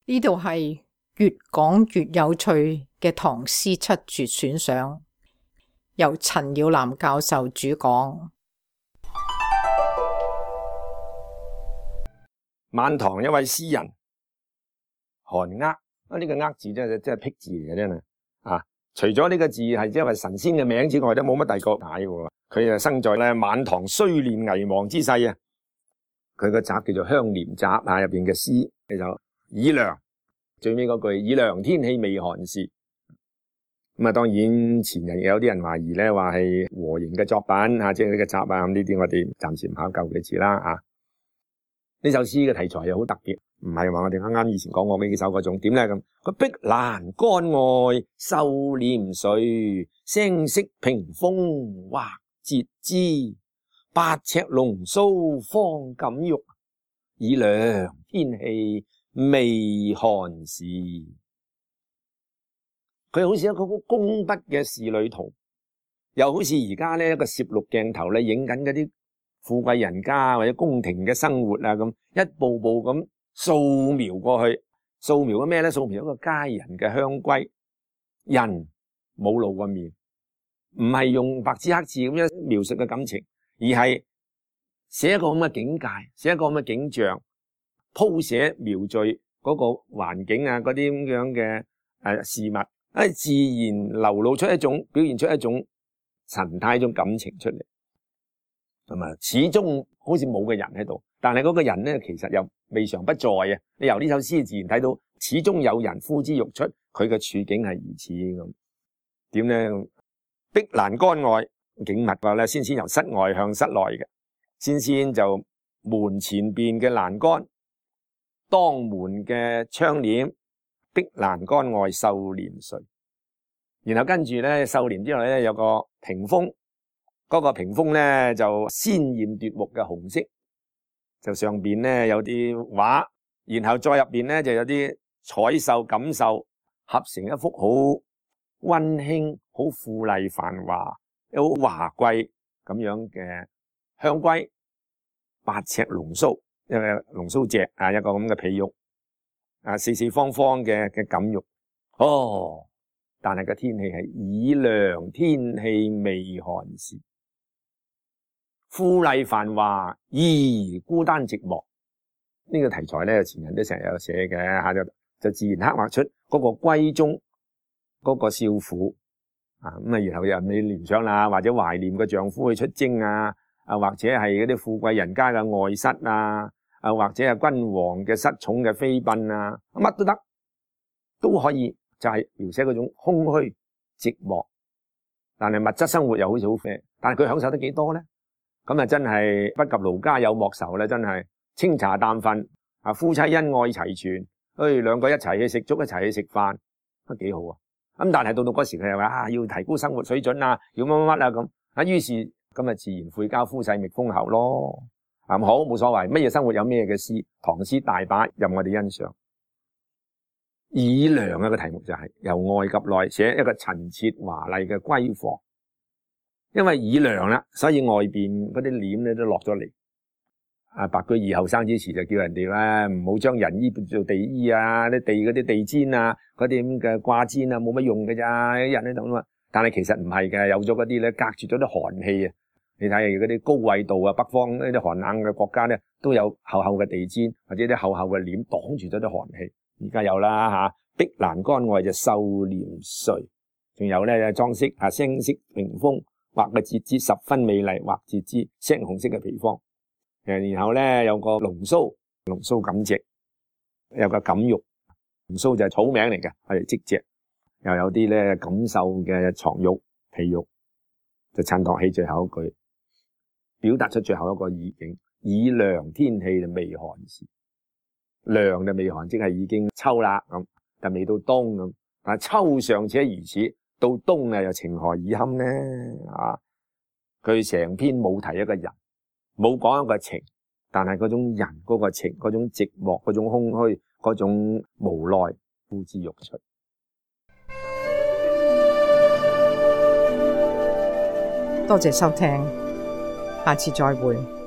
呢度係越講越有趣嘅唐詩七絕選賞，由陳耀南教授主講。晚唐一位詩人韓鄂，呢個鄂字真係僻字嚟嘅真係啊！除咗呢個字係即係神仙嘅名之外，都冇乜第二個解嘅。佢就生在咧晚唐衰亂危亡之世啊！佢個集叫做《香廉集》啊，入邊嘅詩就以涼，最尾嗰句以涼天氣未寒時。咁啊，當然前人有啲人懷疑咧，話係和凝嘅作品啊，即係呢個集啊，咁呢啲我哋暫時唔考究佢字啦啊。呢首詩嘅題材又好特別，唔係話我哋啱啱以前講過呢幾首嗰種點咧咁。佢碧欄杆外繡簾垂，聲色屏風畫節枝。8尺龍鬚方敢玉，以涼天氣未寒時。佢好似一個工筆嘅仕女圖，又好似而家呢一個攝錄鏡頭咧影緊嗰啲富貴人家或者宮廷嘅生活啊，咁一步步咁掃描過去。掃描咗咩咧？掃描一個佳人嘅香閨，人冇露過面，唔係用白紙黑字咁樣描述嘅感情，而係寫一個咁嘅境界，寫一個咁嘅景象，鋪寫描繪嗰個環境啊，嗰啲咁樣嘅事物，自然流露出一種，表現出一種神態，一種感情出嚟。咁啊，始終好似冇個人喺度，但係嗰個人咧，其實又未嘗不在啊！你由呢首詩自然睇到，始終有人呼之欲出，佢嘅處境係如此咁。點咧？碧欄杆外景物話咧，先由室外向室內嘅，先就門前邊嘅欄杆，當門嘅窗簾，碧欄杆外繡簾垂。然後跟住咧，繡簾之後咧有個屏風。嗰個屏風咧就鮮豔奪目嘅紅色，就上邊咧有啲畫，然後再入邊咧就有啲彩繡錦繡合成一幅好溫馨、好富麗繁華、好華貴咁樣嘅香閨。8尺龍鬚，一個龍鬚脊啊，一個咁嘅被褥啊，四四方方嘅錦褥。哦，但係個天氣係以涼天氣未寒時。富麗繁華而孤單寂寞，呢個題材咧前人都成日有寫嘅吓，就自然刻畫出嗰個閨中嗰個少婦啊，咁啊然後又你聯想啦，或者懷念個丈夫去出征啊，或者係嗰啲富貴人家嘅外室啊，或者係君王嘅失寵嘅妃嬪啊，乜都得，都可以就係描寫嗰種空虛寂寞，但係物質生活又好似好啡，但係佢享受得幾多咧？咁啊，真係不及盧家有莫愁咧，真係清茶淡飯啊，夫妻恩愛齊全，兩個一齊去食粥，一齊去食飯，都幾好啊！咁但係到嗰時佢又話要提高生活水準啊，要乜乜乜啊咁啊，於是咁啊自然悔交夫婿覓封侯咯。好冇所謂，乜嘢生活有咩嘅詩，唐詩大把任我哋欣賞。以涼嘅個題目就係由外及內寫一個陳設華麗嘅閨房。因為以涼啦，所以外邊嗰啲簾咧都落咗嚟。白居易後生之時就叫人哋咧唔好將人衣做地衣啊，啲地嗰啲地氈啊，嗰啲咁嘅掛氈啊，冇乜用嘅咋，啲人喺度啊嘛。但係其實唔係嘅，有咗嗰啲咧隔住咗啲寒氣啊。你睇下嗰啲高緯度啊，北方呢啲寒冷嘅國家咧，都有厚厚嘅地氈或者啲厚厚嘅簾擋住咗啲寒氣。而家有啦吓，碧欄杆外就繡簾垂，仲有咧裝飾啊，聲色屏風。畫嘅節枝十分美麗，畫節枝青紅色嘅皮方，然後咧有個龍鬚錦席，有個錦褥，龍鬚就係草名嚟嘅，係織席，又有啲咧錦繡嘅床褥被褥，就襯托起最後一句，表達出最後一個意境，以涼天氣就未寒時，涼就未寒，即係已經秋啦咁，但未到冬咁，但係秋尚且如此。到冬啊，又情何以堪呢？佢成篇冇提一個人，冇講一個情，但係嗰種人嗰個情，嗰種寂寞，嗰種空虛，嗰種無奈，呼之欲出。多謝收聽，下次再會。